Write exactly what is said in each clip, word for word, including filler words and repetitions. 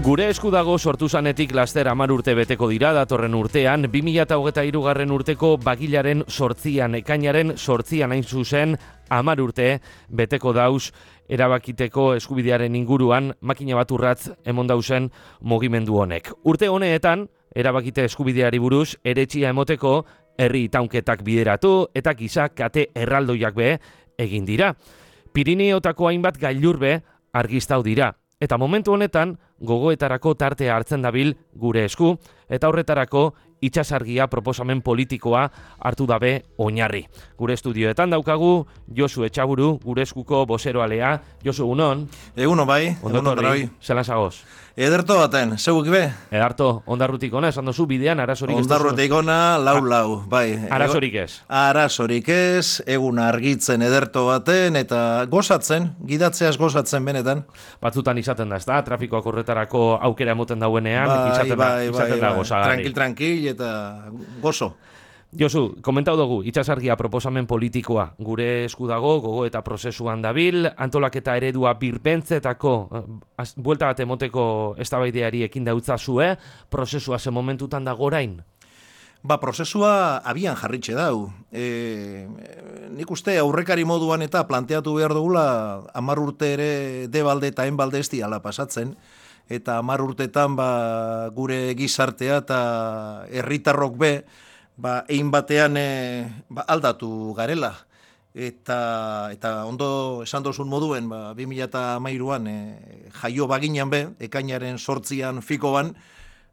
Gure esku dago sortu zanetik laster hamar urte beteko dira datorren urtean, bi mila hogeita hirugarren urteko bagilaren sortzian, ekainaren sortzian hain zuzen, hamar urte beteko dauz erabakiteko eskubidearen inguruan makina bat urratz emon dauzen mugimendu honek. Urte honeetan, erabakite eskubideari buruz, eretxia emoteko herri itaunketak bideratu eta giza kate erraldoiak be egin dira. Pirineotako hainbat gailur be argiztau dira. Eta momentu honetan, gogoetarako tartea hartzen dabil gure esku, eta horretarako itsasargia proposamen politikoa hartu dabe oinarri. Gure estudioetan daukagu, Josu Etxaburu, gure eskuko bozeroalea. Josu, egunon? Eguno bai, Ondo torri, zelan zagoz? Ederto baten, zeugik be? Edarto, ondarrutik ona, esan dozu bidean, arazorik ez dozu? Ondarrutik ona, lau-lau, bai. Arazorik ez? Arazorik ez, egun argitzen ederto baten, eta gozatzen, gidatzeaz gozatzen benetan. Batzutan izaten da, ez da? Trafikoak horretarako aukera emoten dauenean, bai, izaten, bai, da, izaten bai, da bai. gozagarri. Tranquil, tranquil, eta gozo. Josu, komentau dugu, itsasargia proposamen politikoa gure esku dago, gogo eta prozesuan dabil, antolaketa eredua birbentzetako, az, buelta bat emoteko eztabaideari ekin dautzazue, prozesua ze momentutan dago orain? Ba, prozesua abian jarritxe dau. E, nik uste aurrekari moduan eta planteatu behar dugula hamar urte ere debalde eta enbalde ez diala pasatzen, eta hamar urtetan ba, gure gizartea eta herritarrok be, ba, egin batean e, ba, aldatu garela. Eta, eta ondo esan dozun moduen, ba, bi mila hamairuan e, jaio baginan be, ekainaren sortzian fiko ban,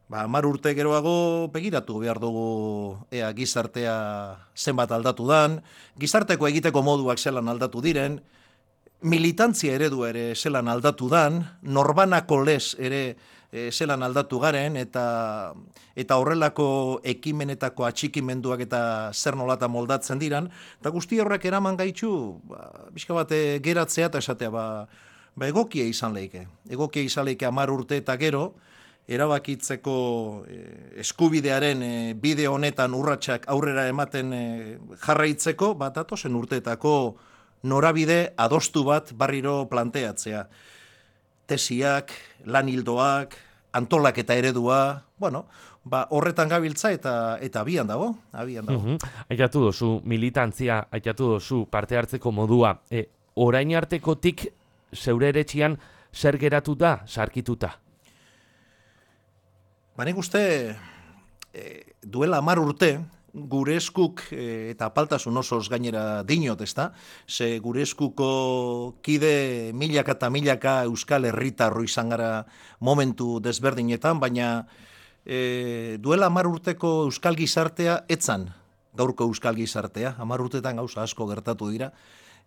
ba, hamar urte geroago begiratu behar dugu ea gizartea zenbat aldatu dan, gizarteko egiteko moduak zelan aldatu diren, militantzia eredu ere zelan aldatu dan, norbanako lez ere e, zelan aldatu garen, eta eta horrelako ekimenetako atxikimenduak eta zer nolata moldatzen diran, eta guzti horrek eraman gaitxu, ba, bizka bat e, geratzea eta esatea, ba, ba egokia izan leike. Egokia izan leike hamar urte eta gero, erabakitzeko e, eskubidearen e, bide honetan urratsak aurrera ematen e, jarraitzeko, bat datozen urteetako norabide adostu bat barriro planteatzea. Tesiak, lan hildoak, antolaketa eredua, bueno, ba, horretan gabiltza eta eta abian dago, abian dago. Mm-hmm. Aitatu dozu, militantzia, aitatu dozu, parte hartzeko modua, e, orain artekotik zeure eretxian zer geratu da, sarkituta? Ba, nik uste e, duela hamar urte, gure eskuk e, eta apaltasun osoz gainera dinot, ezta? Ze gure eskuko kide milaka eta milaka euskal herritarro izan gara momentu desberdinetan, baina e, duela hamar urteko euskal gizartea etzan, gaurko euskal gizartea, hamar urtetan gauza asko gertatu dira,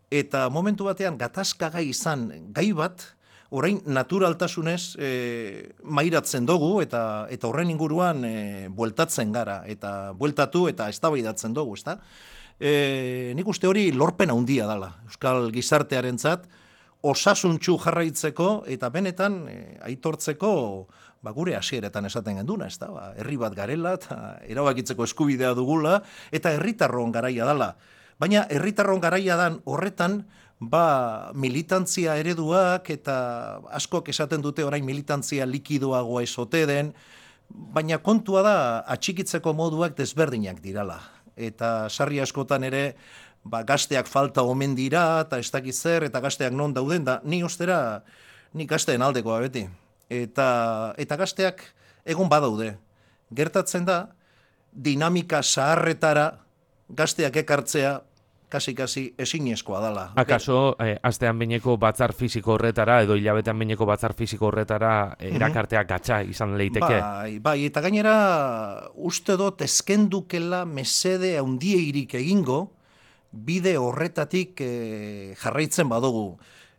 eta momentu batean gatazkagai izan gai bat, orain naturaltasunez e, mairatzen dugu eta eta horren inguruan e, bueltatzen gara eta bueltatu eta eztabaidatzen dugu, ezta? E, nik uste hori lorpen handia dela euskal gizartearentzat osasuntsu jarraitzeko eta benetan e, aitortzeko ba, gure hasieretan esaten genduna, ezta? Ba, herri bat garela eta erabakitzeko eskubidea dugula eta herritarron garaia dela. Baina herritarron garaia dan horretan ba, militantzia ereduak eta askok esaten dute orain militantzia likidoagoa esote den, baina kontua da atxikitzeko moduak desberdinak dirala. Eta sarri askotan ere ba, gazteak falta omen dira eta ez dakit zer eta gazteak non dauden da, ni ostera, ni gazteen aldekoa beti. Eta, eta gazteak egon badaude. Gertatzen da, dinamika zaharretara gazteak ekartzea kasi-kasi ezinezkoa dela. Akaso, eh, astean behineko batzar fisiko horretara, edo hilabetean behineko batzar fisiko horretara eh, erakartea gatza izan leiteke? Bai, bai, eta gainera uste dut ezkendukela mesede handiegirik egingo, bide horretatik eh, jarraitzen badugu.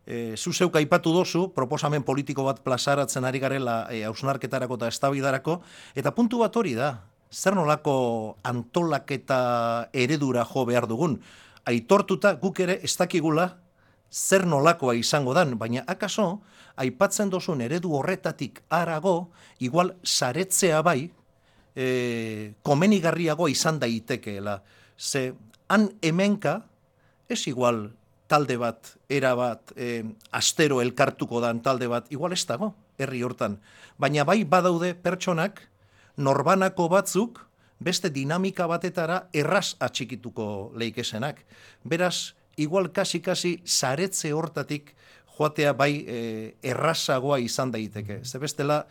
E, zu zeuk aipatu dozu, proposamen politiko bat plazaratzen ari garela e, hausnarketarako eta eztabaidarako, eta puntu bat hori da, zer nolako antolaketa eredura jo behar dugun. Aitortuta guk ere ez dakigula zer nolakoa izango dan, baina akaso, aipatzen dozun eredu horretatik harago, igual saretzea bai, e, komenigarriago izan daitekeela. Ze, han hemenka, ez igual talde bat, era bat, e, astero elkartuko dan talde bat, igual ez dago, herri hortan. Baina bai badaude pertsonak, norbanako batzuk, beste dinamika batetara erraz atxikituko leikesenak. Beraz, igual kasi-kasi zaretze hortatik joatea bai e, errazagoa izan daiteke. Ze bestela,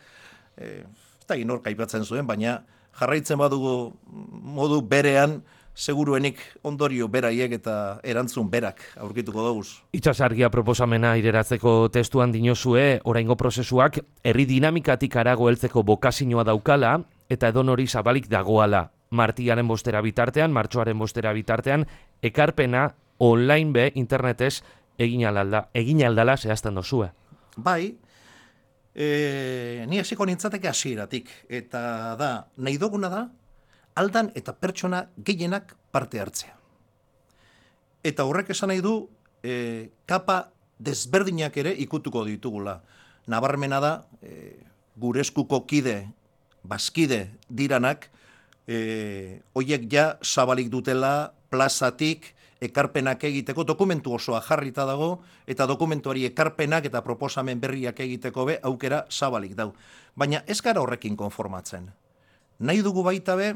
e, eta inork aipatzen zuen, baina jarraitzen badugu modu berean, seguruenik ondorio beraiek eta erantzun berak aurkituko doguz. Itsasargia proposamena ireratzeko testuan dinozue, oraingo prozesuak herri dinamikatik arago heltzeko bokazioa daukala, eta edonori zabalik dagoala. Martiaren bostera bitartean, martxoaren bostera bitartean, ekarpena online be internetez egin aldala, egin aldala zehazten dozue. Bai, e, ni hasiko nintzateke hasieratik, eta da, nahi duguna da, aldan eta pertsona gehienak parte hartzea. Eta horrek esan nahi du, e, kapa desberdinak ere ikutuko ditugula. Nabarmena da, e, gure eskuko kide, bazkide diranak, e, oiek ja zabalik dutela plazatik ekarpenak egiteko, dokumentu osoa jarrita dago, eta dokumentuari ekarpenak eta proposamen berriak egiteko be, aukera zabalik dau. Baina ez gara horrekin konformatzen. Nahi dugu baita be,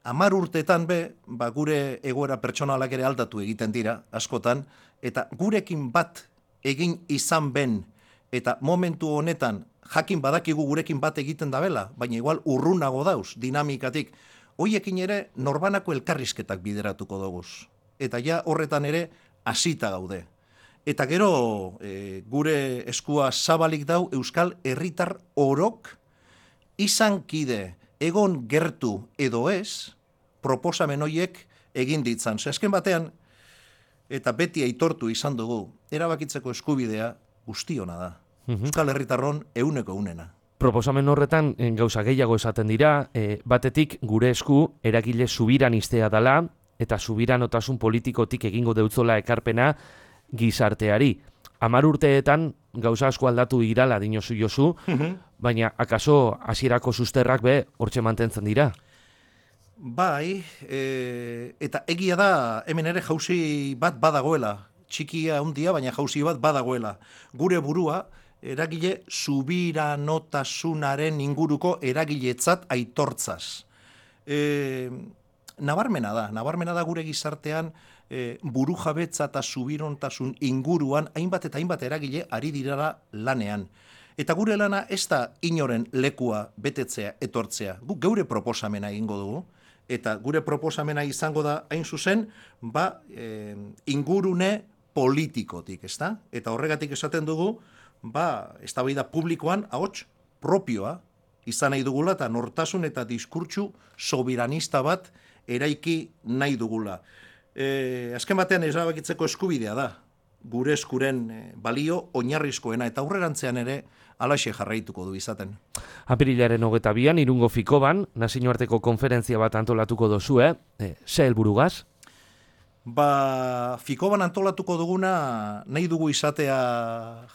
Hamar urteetan be, ba, gure egoera pertsonalak ere aldatu egiten dira, askotan, eta gurekin bat egin izan ben, eta momentu honetan jakin badakigu gurekin bat egiten dabela, baina igual urrunago dauz, dinamikatik, hoiekin ere norbanako elkarrizketak bideratuko doguz. Eta ja horretan ere hasita gaude. Eta gero e, gure eskua zabalik dau Euskal Herritar orok izan kide, egon gertu edo ez, proposamen horiek egin ditzan. Azken batean, eta beti aitortu izan dugu, erabakitzeko eskubidea guztiona da. Mm-hmm. Euskal Herritarron euneko eunena. Proposamen horretan gauza gehiago esaten dira, e, batetik gure esku eragile subiranistea dela, eta subiranotasun politikotik egingo deutzola ekarpena gizarteari. Hamar urteetan gauza asko aldatu irala dinozu jozu, mm-hmm. baina akaso hasierako susterrak be hortxe mantentzen dira. Bai, e, eta egia da hemen ere jauzi bat badagoela, txikia handia, baina jauzi bat badagoela. Gure burua eragile subiranotasunaren inguruko eragiletzat aitortzaz. E, nabarmena da, nabarmena da gure gizartean e, burujabetza eta subirontasun inguruan hainbat eta hainbat eragile ari dirara lanean. Eta gure lana ez da inoren lekua betetzea etortzea. Guk geure proposamena egingo dugu. Eta gure proposamena izango da hain zuzen, ba, e, ingurune politikotik, ezta? Eta horregatik esaten dugu, ba, eztabaida publikoan ahots propioa izan nahi dugula eta nortasun eta diskurtsu sobiranista bat eraiki nahi dugula. E, azken batean erabakitzeko eskubidea da, gure eskuren balio oinarrizkoena eta aurrerantzean ere alaxe jarraituko du izaten. Apirilaren hogeta bian, Irungo Fikoban, nazioarteko konferentzia bat antolatuko dozue, e, ze helburugaz? Ba, Fikoban antolatuko duguna nahi dugu izatea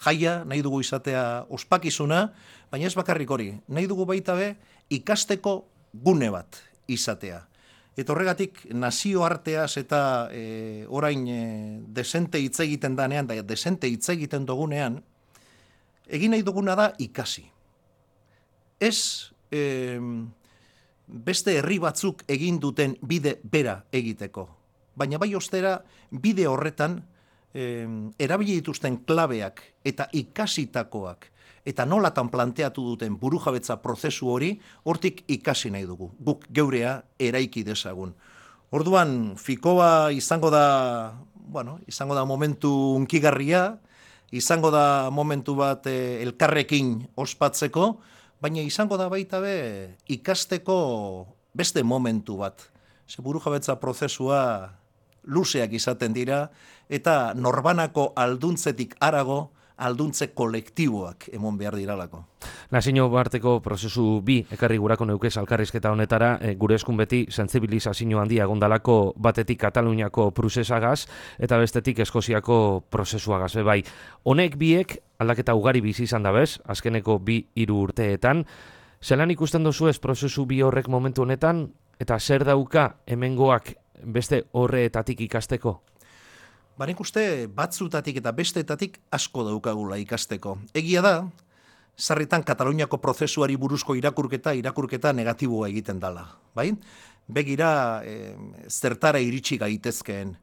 jaia, nahi dugu izatea ospakizuna, baina ez bakarrik hori, nahi dugu baita be ikasteko gune bat izatea. Eta horregatik nazioarteaz eta e, orain e, desente hitz egiten danean, da desente hitz egiten dugunean, egin nahi duguna da ikasi. Ez e, beste herri batzuk egin duten bide bera egiteko. Baina bai ostera bide horretan e, erabili dituzten klabeak eta ikasitakoak eta nolatan planteatu duten burujabetza prozesu hori, hortik ikasi nahi dugu. Guk geurea eraiki dezagun. Orduan, Fikoa izango da, bueno, izango da momentu unkigarria, izango da momentu bat e, elkarrekin ospatzeko, baina izango da baita be ikasteko beste momentu bat. Ze burujabetza prozesua luzeak izaten dira, eta norbanako alduntzetik harago, alduntze kolektiboak emon behar diralako. Nazio barteko prozesu bi ekarri gurako neukez alkarrizketa honetara, e, gure eskun beti sentsibilizazio handia egondalako batetik Kataluniako prozesagaz eta bestetik Eskoziako prozesuagaz. Bai, honek biek aldaketa ugari bizi izan da bez, azkeneko bi hiru urteetan. Zelan ikusten dozu ez prozesu bi horrek momentu honetan, eta zer dauka hemengoak beste horreetatik ikasteko? Ba, nik uste batzutatik eta besteetatik asko daukagula ikasteko. Egia da, sarritan Kataluniako prozesuari buruzko irakurketa, irakurketa negatiboa egiten dala. Bai? Begira, e, zertara iritsi gaitezkeen.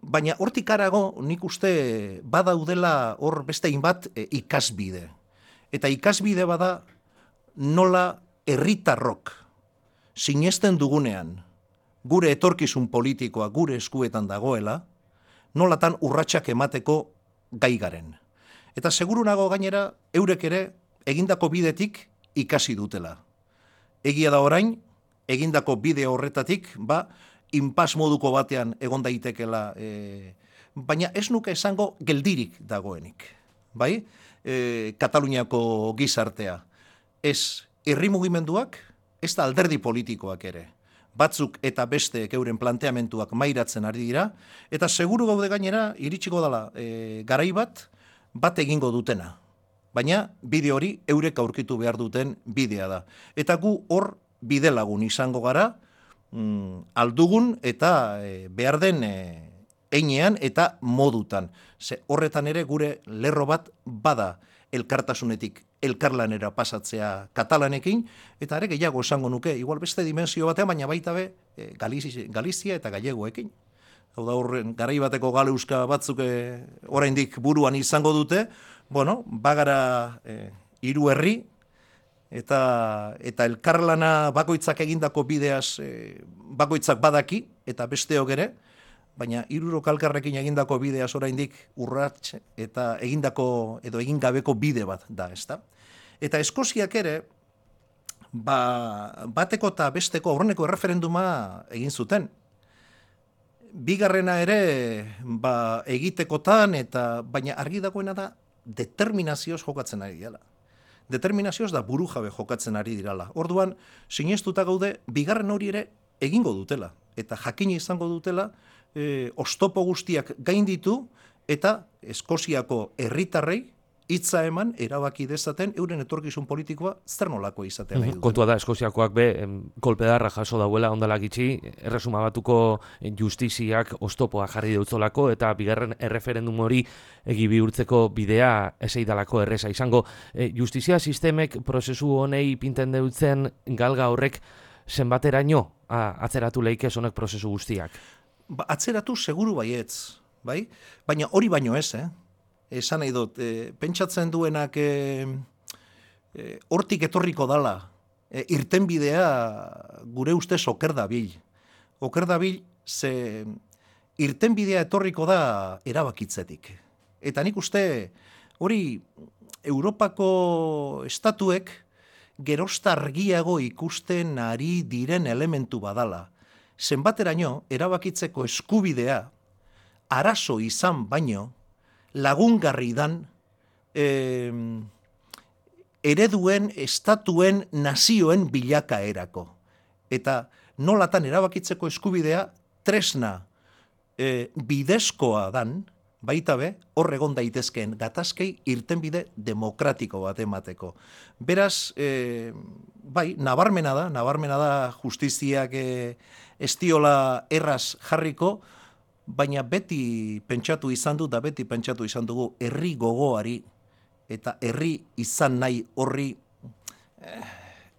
Baina hortik harago nik uste badaudela hor beste hainbat e, ikasbide. Eta ikasbide bada nola herritarrok sinesten dugunean gure etorkizun politikoa gure eskuetan dagoela, nolatan urratsak emateko gai garen. Eta seguru nago gainera eurek ere egindako bidetik ikasi dutela. Egia da orain, egindako bide horretatik, ba, inpas moduko batean egon daitekela, e, baina ez nuke esango geldirik dagoenik. Bai? E, Kataluniako gizartea. Ez herri mugimenduak, ez da alderdi politikoak ere. Batzuk eta beste euren planteamentuak mairatzen ari dira, eta seguru gaude gainera, iritsiko dela e, garai bat, bat egingo dutena. Baina bide hori eurek aurkitu behar duten bidea da. Eta gu hor bide lagun izango gara, mm, aldugun eta e, behar den e, einean eta modutan. Ze horretan ere gure lerro bat bada elkartasunetik elkarlanera pasatzea katalanekin, eta ere gehiago esango nuke, igual beste dimensio batean, baina baita be e, Galizia, Galizia eta gallegoekin. Hau da horren, garai bateko galeuska batzuk e, oraindik buruan izango dute, bueno, bagara e, hiru herri, eta, eta elkarlana bakoitzak egindako bideaz e, bakoitzak badaki, eta besteok ere, baina hirurok elkarrekin egindako bideaz oraindik urrats eta egindako edo egin gabeko bide bat da, ezta? Eta Eskoziak ere ba, bateko eta besteko aurreneko erreferenduma egin zuten. Bigarrena ere ba, egitekotan eta baina argi dagoena da determinazioz jokatzen ari dela. Determinazioz da burujabe jokatzen ari dirala. Orduan sinestuta gaude bigarren hori ere egingo dutela eta jakina izango dutela E, ostopo guztiak gainditu eta Eskoziako herritarrei hitza eman erabaki dezaten euren etorkizun politikoa zer nolako izatea nahi duten. Kontua da Eskoziakoak be kolpedarra jaso dauela ondala gitxi, erresuma batuko justiziak ostopoa jarri deutzolako eta bigarren erreferendum hori egi bihurtzeko bidea eseidalako erresa izango. E, justizia sistemek prozesu honei pinten deutzen galga horrek zenbateraino atzeratu leike honek prozesu guztiak? Ba, atzeratu seguru baietz, bai? Baina hori baino ez, eh? Esan nahi dut, e, pentsatzen duenak e, e, hortik etorriko dala, e, irtenbidea gure ustez oker dabil. Oker dabil ze irtenbidea etorriko da erabakitzetik. Eta nik uste hori Europako estatuek gerosta argiago ikusten ari diren elementu badala. Zenbateraino erabakitzeko eskubidea arazo izan baino lagungarri dan eh, ereduen, estatuen, nazioen bilakaerako. Eta nolatan erabakitzeko eskubidea tresna eh, bidezkoa dan, baita be, hor egon daitezkeen gatazkei irtenbide demokratiko bat emateko. Beraz, eh, bai, nabarmena da, nabarmena da justiziak eh, estiola erraz jarriko, baina beti pentsatu izan du, da beti pentsatu izan dugu herri gogoari eta herri izan nahi horri eh,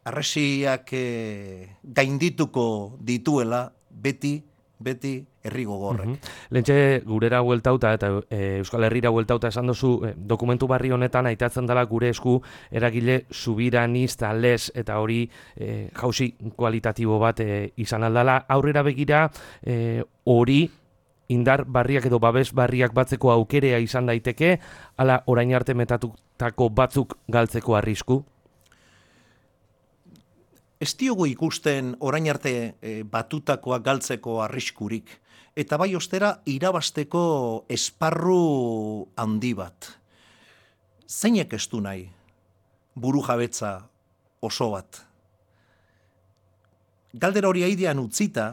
arresiak eh, gaindituko dituela beti, beti herri gogorrek. Mm-hmm. Lentxe gurera hueltauta eta e, Euskal Herrira hueltauta esan duzu, e, dokumentu barri honetan aitatzen dela gure esku eragile subiranista les eta hori e, jauzi kualitatibo bat e, izan aldala. Aurrera begira e, hori indar barriak edo babes barriak batzeko aukerea izan daiteke, ala orain arte metatutako batzuk galtzeko arrisku? Ez diogu ikusten orain arte e, batutakoa galtzeko arriskurik. Eta bai ostera irabasteko esparru handi bat. Zeinek ez du nahi buru jabetza oso bat. Galdera hori aidean utzita,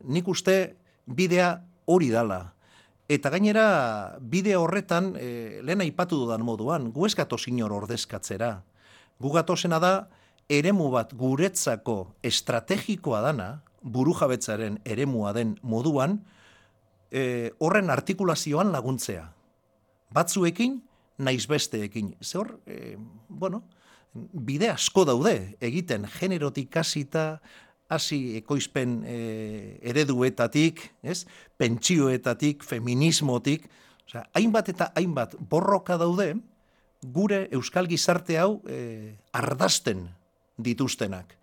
nik uste bidea hori dala. Eta gainera bide horretan, e, lehen aipatu dudan moduan, gu ez gatoz inor ordezkatzera. Gu gatozena da, eremu bat guretzako estrategikoa dana, burujabetzaren eremua den moduan, e, horren artikulazioan laguntzea. Batzuekin, naiz besteekin. Ze hor, e, bueno, bide asko daude egiten generotik hasita, hasi ekoizpen e, ereduetatik, ez? Pentsioetatik, feminismotik, osea, hainbat eta hainbat borroka daude gure euskal gizarte hau e, ardazten dituztenak.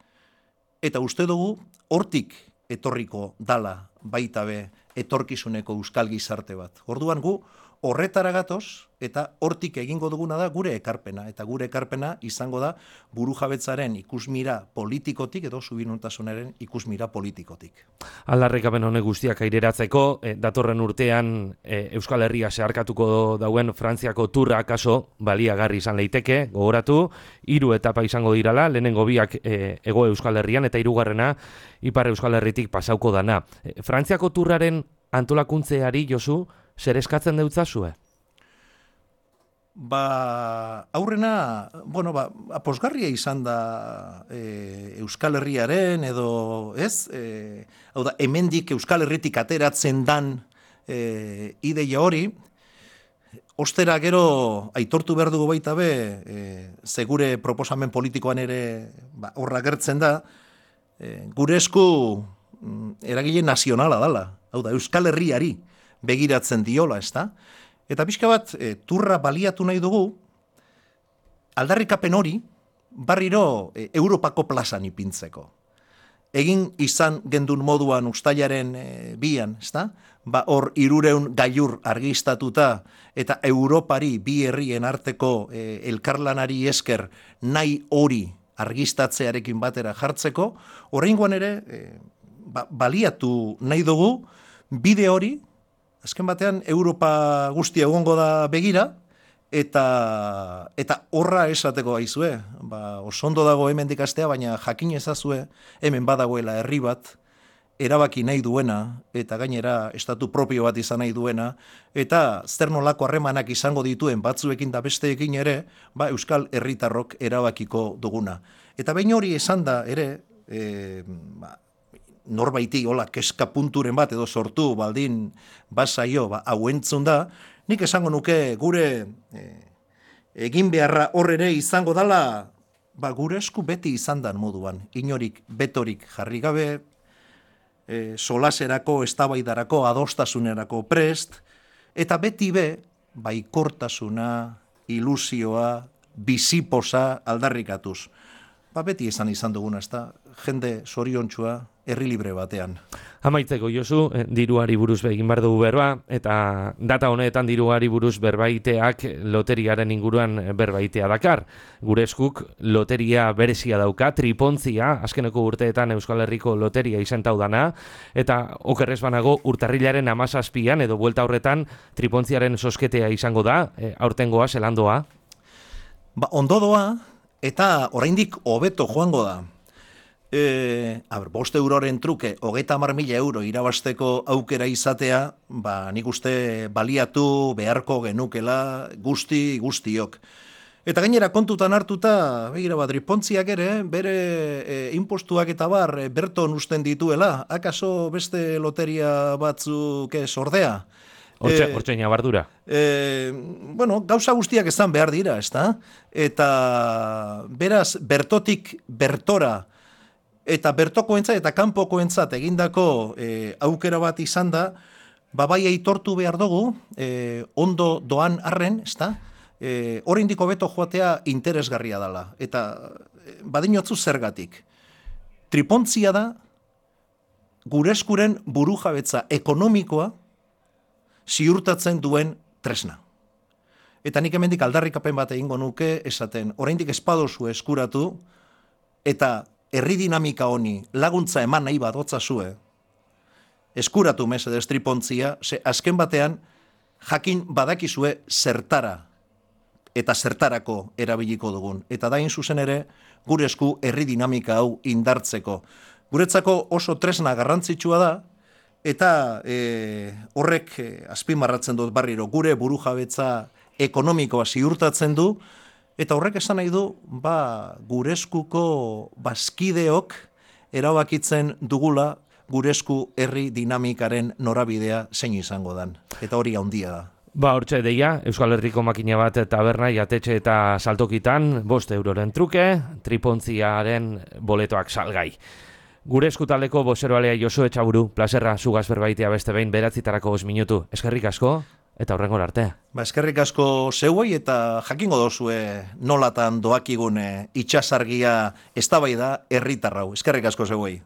Eta uste dugu hortik etorriko dala baita be etorkizuneko euskal gizarte bat. Orduan gu horretara gatoz eta hortik egingo duguna da gure ekarpena. Eta gure ekarpena izango da burujabetzaren ikusmira politikotik edo subiranotasunaren ikusmira politikotik. Aldarrikapen honek guztiak aireratzeko, eh, datorren urtean eh, Euskal Herria zeharkatuko dauen Frantziako turra kaso baliagarri izan leiteke, gogoratu, hiru etapa izango dirala, lehenengo biak eh, Hego Euskal Herrian eta hirugarrena Ipar Euskal Herritik pasauko dana. Eh, Frantziako turraren antolakuntzeari, Josu, zer eskatzen deutzazue? Ba, aurrena, bueno, ba, aposgarria izan da e, Euskal Herriaren edo, ez? E, hau da, hemendik Euskal Herritik ateratzen dan e, ideia hori, ostera gero aitortu behar dugu baita be, e, zegure proposamen politikoan ere ba, horra gertzen da, e, gure esku mm, eragile nazionala dala, hau da, Euskal Herriari begiratzen diola, ez da? Eta pixka bat, e, turra baliatu nahi dugu, aldarrikapen hori, barriro e, Europako plazan ipintzeko. Egin izan gendun moduan ustailaren e, bian, ez da? Ba, hor irureun gailur argistatuta, eta Europari bi herrien arteko e, elkarlanari esker nahi hori argistatzearekin batera jartzeko, oraingoan ere, e, ba, baliatu nahi dugu, bide hori, azken batean, Europa guztia egongo da begira, eta eta horra esateko gaizue. Ba, osondo dago hemen dikastea, baina jakin ezazue, hemen badagoela herri bat, erabaki nahi duena, eta gainera estatu propio bat izan nahi duena, eta zer nolako harremanak izango dituen batzuekin da besteekin ere, ba, Euskal Herritarrok erabakiko duguna. Eta behin hori esan da ere, e, ba, norbaiti hola keska punturen bat edo sortu baldin basaio ba, hau entzun da, nik esango nuke gure e, egin beharra hor ere izango dala, ba, gure esku beti izan dan moduan, inorik betorik jarri gabe, e, solaserako, eztabaidarako, adostasunerako prest, eta beti be, baikortasuna, ilusioa, biziposa aldarrikatuz. Ba, beti izan izan duguna, ez da, jende zoriontsua, herri libre batean. Amaitzeko, Josu, diruari buruz egin behar dugu berba, eta data honetan diruari buruz berbaiteak loteriaren inguruan berbaitea dakar. Gure eskuk loteria berezia dauka, tripontzia, azkeneko urteetan Euskal Herriko loteria izentau dana, eta okerrez banago urtarrilaren amazazpian, edo buelta horretan tripontziaren sosketea izango da, e, aurtengoa, zelandoa? Ba, ondo doa, eta oraindik hobeto joango da. E, a ber, bost euroren truke, hogeita hamar mila euro irabasteko aukera izatea, ba, nik uste baliatu beharko genukela guzti guztiok. Eta gainera kontutan hartuta, begira bat, tripontziak ere, bere e, impostuak eta bar, e, berton usten dituela, akaso beste loteria batzuk ez ordea? Hortxe, e, hortxe nabardura. E, bueno, gauza guztiak ezan behar dira, ezta? Eta beraz, bertotik bertora, eta bertokoentzat eta kanpokoentzat egindako e, aukera bat izan da, ba bai aitortu behar dugu, e, ondo doan arren, ezta? E, oraindik hobeto joatea interesgarria dela. Eta e, badinotzu zergatik. Tripontzia da, gure eskuren burujabetza ekonomikoa ziurtatzen duen tresna. Eta nik hemendik aldarrikapen bat egingo nuke, esaten, oraindik espadozu eskuratu, eta herri dinamika honi laguntza eman nahi badotzazue, eskuratu mesedez tripontzia, ze azken batean jakin badakizue zertara eta zertarako erabiliko dugun. Eta dain zuzen ere, gure esku herri dinamika hau indartzeko. Guretzako oso tresna garrantzitsua da, eta e, horrek e, azpimarratzen dut barriro, gure burujabetza ekonomikoa ziurtatzen du, eta horrek esan nahi du, ba, gure eskuko bazkideok erabakitzen dugula gure esku herri dinamikaren norabidea zein izango dan. Eta hori handia da. Ba, hortxe deia, Euskal Herriko makina bat taberna, jatetxe eta saltokitan, bost euroren truke, tripontziaren boletoak salgai. Gure eskutaleko bozeroalea Josu Etxaburu, plazerra zugaz berbaitea beste behin beratzitarako bost minutu. Eskerrik asko, eta horrengor arte. Ba, eskerrik asko zeuei eta jakingo dozue nolatan doakigun itxasargia eztabaida herritarrau. Eskerrik asko zeuei.